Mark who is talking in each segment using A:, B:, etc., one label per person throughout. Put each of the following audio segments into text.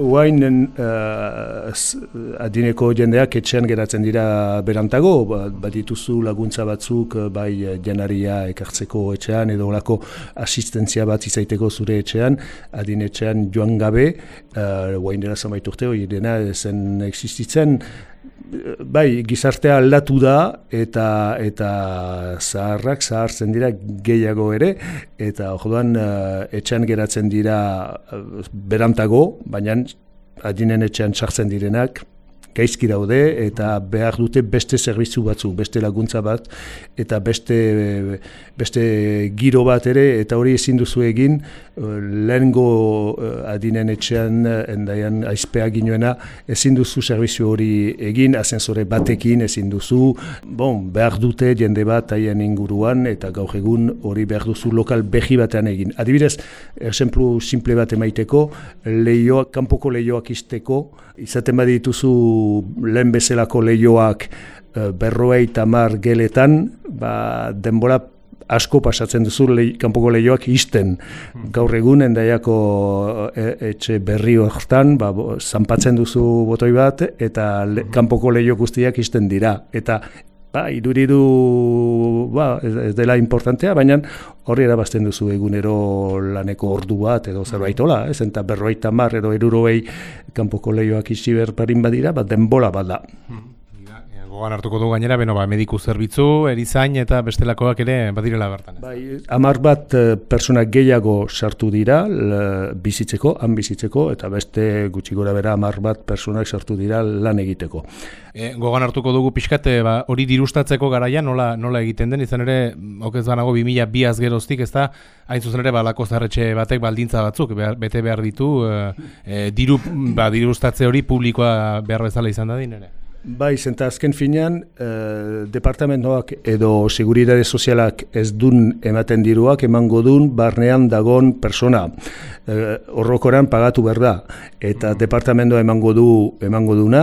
A: Uainen adineko jendeak etxean geratzen dira berantago, badituzu laguntza batzuk bai janaria ekartzeko etxean edo olako asistentzia bat izaiteko zure etxean, adinetxean joan gabe, uain dela zenbait urte hori dena zen existitzen. Bai, gizartea aldatu da eta zaharrak zahartzen dira gehiago ere, eta orduan etxean geratzen dira berantago, baina adinen etxean sartzen direnak gaizki daude eta behar dute beste zerbitzu batzuk, beste laguntza bat eta beste giro bat ere, eta hori ezin duzu egin lehengo adinen etxean endaian aizpea ginoena, ezin duzu zerbitzu hori egin, ascensore batekin ezin duzu, behar dute jende bat haien inguruan eta gaur egun hori behar duzu lokal behi batean egin. Adibidez, exemplu simple bat emaiteko, kanpoko lehioak izteko, izaten badituzu lehen bezalako lehioak 50 geletan, denbora asko pasatzen duzu kanpoko lehioak izten. Gaur egun endaiako etxe berri hortan, zanpatzen duzu botoi bat eta kanpoko lehio guztiak izten dira. Eta iduridu ez dela importantea, baina horri erabazten duzu egunero laneko ordu bat edo zerbait hola, eta 50 edo 60 kanpoko lehioak isi berparin badira, denbola bat da.
B: Gogan hartuko du gainera, mediku zerbitzu, erizain eta bestelakoak ere badirela bertan.
A: Bai, 10 pertsona gehiago sartu dira bizitzeko, han bizitzeko, eta beste gutxi gora bera 10 pertsonak sartu dira lan egiteko.
B: Gogan hartuko dugu pixkat, hori dirustatzeko garaian nola egiten den, izan ere, okez banago 2002 geroztik, ez da, hain zuzen ere, lako zaharretxe batek baldintza batzuk, bete behar ditu, dirustatze hori publikoa behar bezala izan da din ere.
A: Bai, zenta azken finean, departamentoak edo seguridade sozialak ez dun ematen diruak, emango dun barnean dagon persona. Horrokoran pagatu behar da. Eta departamentoa emango duna,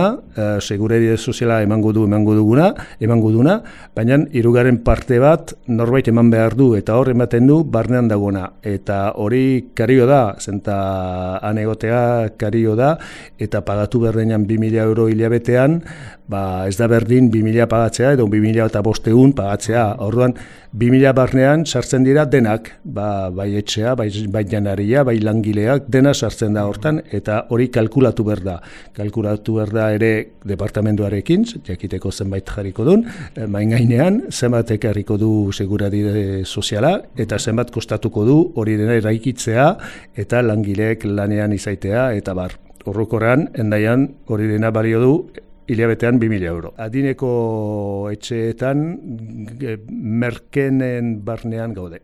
A: seguridade soziala emango duna, baina hirugarren parte bat norbait eman behar du, eta hor ematen du barnean dagona. Eta hori kario da, zenta anegotea kario da, eta pagatu behar denean 2.000 euro hilabetean, ez da berdin 2.000 pagatzea edo 2.500 pagatzea. Orduan, 2.000 barnean sartzen dira denak, bai etxea, bai janaria, bai langileak, dena sartzen da hortan, eta hori kalkulatu behar da. Kalkulatu behar da ere departamentuarekin, jakiteko zenbait jarriko duen, main gainean, zenbat ekarriko du seguridade soziala, eta zenbat kostatuko du hori dena eraikitzea, eta langileek lanean izaitea, eta bar. Horrokoran, endaian, hori dena balio du, hilabetean 2.000 euro. Adineko etxeetan merkenen barnean gaude.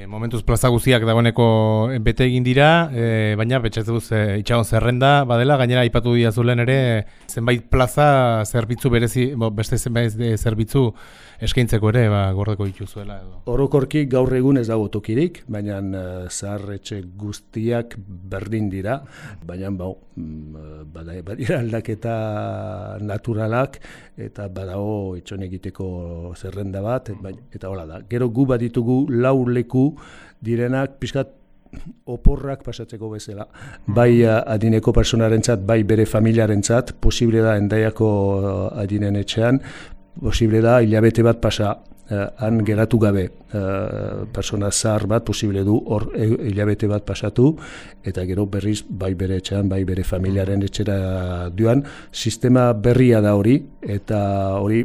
B: Momentuz plaza guztiak dagoeneko bete egin dira, baina betxatzuz itxagon zerrenda badela, gainera aipatu diazulen ere zenbait plaza zerbitzu berezi, beste zenbait zerbitzu eskaintzeko ere gordeko dituzuela edo.
A: Orokorki gaur egun ez dago tokirik, baina zaharretxe guztiak berdin dira, baina badira aldaketa naturalak eta badago itxon egiteko zerrenda bat, eta hola da. Gero gu baditugu 4 leku direnak pixkat oporrak pasatzeko bezala. Bai adineko personarentzat, bai bere familiarentzat, posible da Hendaiako adinen etxean, posible da hilabete bat pasa, han geratu gabe, persona zahar bat posible du hor hilabete bat pasatu, eta gero berriz bai bere etxean, bai bere familiaren etxera duan. Sistema berria da hori, eta hori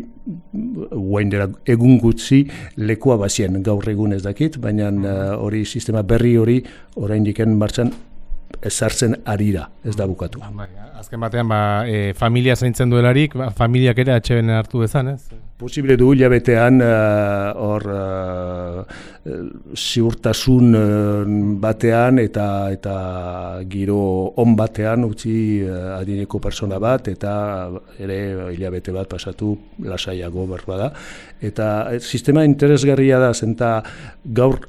A: guain dela egun gutxi lekua bazien, gaur egun ez dakit, baina hori sistema berri hori oraindik martxan ezartzen arira, ez da bukatu.
B: Azken batean, familia zaintzen duelarik, familiak ere atxeben hartu bezan, ez?
A: Posible du hilabetean hor ziurtasun batean eta giro on batean utzi adineko persona bat, eta ere hilabete bat pasatu lasaiago berbada. Eta sistema interesgarria da, zenta gaur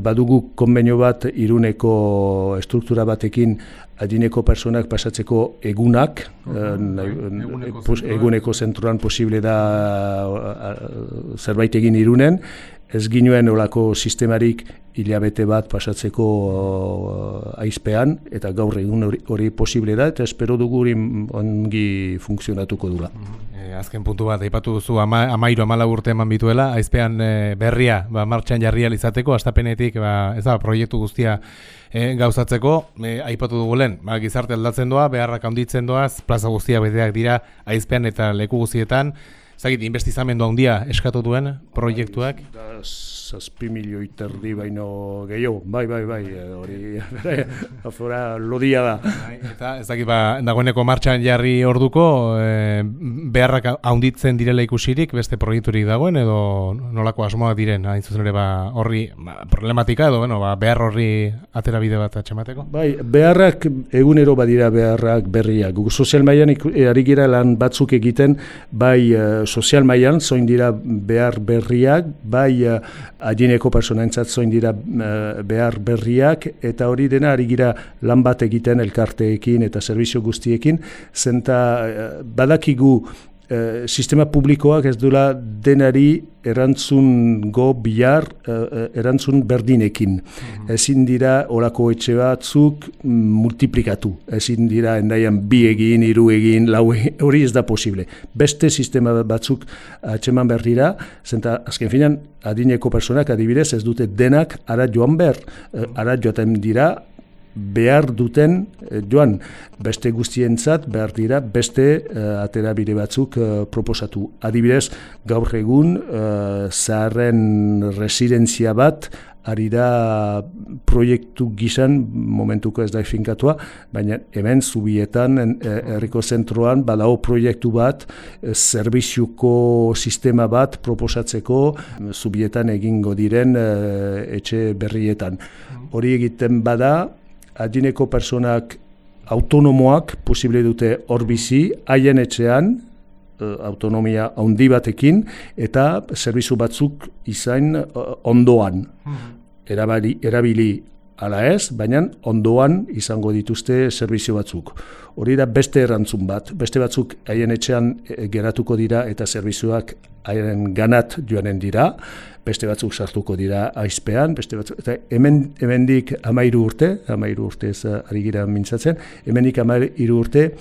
A: badugu konbenio bat Iruneko estruktura batekin adineko personak pasatzeko egunak, eguneko zentroan posible da zerbait egin Irunen, ez ginuen olako sistemarik hilabete bat pasatzeko aizpean, eta gaur egun hori posible da, eta espero dugu hori ongi funtzionatuko dula.
B: Azken puntu bat, aipatu duzu 13-14 urte eman bituela, aizpean berria martxan jarri izateko, astapenetik ez da, proiektu guztia gauzatzeko, aipatu dugu lehen, gizarte aldatzen doa, beharrak handitzen doaz, plaza guztia beteak dira aizpean eta leku guztietan. Zagit, investizamendu handia eskatu duen proiektuak?
A: 7 milioi terdi baino gehiago, bai, hori afora lodia da.
B: Eta ez dakit, dagoeneko martxan jarri orduko, beharrak handitzen direla ikusirik, beste proiekturik dagoen, edo nolako asmoak diren, hain zuzen ere horri problematika, edo behar horri atera bide bat atxemateko?
A: Bai, beharrak egunero badira beharrak berriak. Sozial mailan ari gira lan batzuk egiten, bai sozial mailan zoin dira behar berriak, bai adineko personaentzat zoin dira behar berriak, eta hori dena ari gira lan bat egiten elkarteekin eta zerbizio guztiekin, zenta badakigu sistema publikoak ez duela denari erantzungo bihar erantzun berdinekin. Ezin dira olako etxe batzuk multiplikatu. Ezin dira endaian 2 egin, 3 egin, 4 egin, hori ez da posible. Beste sistema batzuk atxeman berdira, zenta azken finan adineko personak adibidez ez dute denak ara joan behar. Ara joaten dira behar duten joan, beste guztientzat behar dira beste aterabide batzuk proposatu. Adibidez, gaur egun zaharren residentzia bat ari da proiektu gizan, momentuko ez da finkatua, baina hemen Zubietan, herriko zentroan, badao proiektu bat, zerbiziuko sistema bat proposatzeko Zubietan egingo diren etxe berrietan. Hori egiten bada, adineko personak autonomoak posible dute hor bizi, haien etxean, autonomia handi batekin, eta zerbizu batzuk izan ondoan. Erabili ala ez, baina ondoan izango dituzte zerbizio batzuk. Hori da beste erantzun bat. Beste batzuk haien etxean geratuko dira eta zerbizioak haien ganat joanen dira. Beste batzuk sartuko dira aizpean, beste batzuk, eta hemendik 13 urtez ari gira mintzatzen, hemendik 13 urte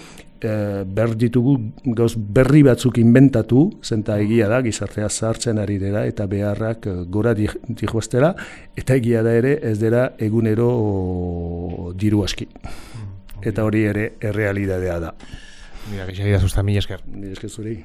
A: behar ditugu gauz berri batzuk inventatu, zenta egia da, gizartea zahartzen ari dira, eta beharrak gora dihoaztera, eta egia da ere ez dela egunero diru aski. Eta hori ere errealidadea da.
B: Mira, que mila esker.
A: Mila esker zuri.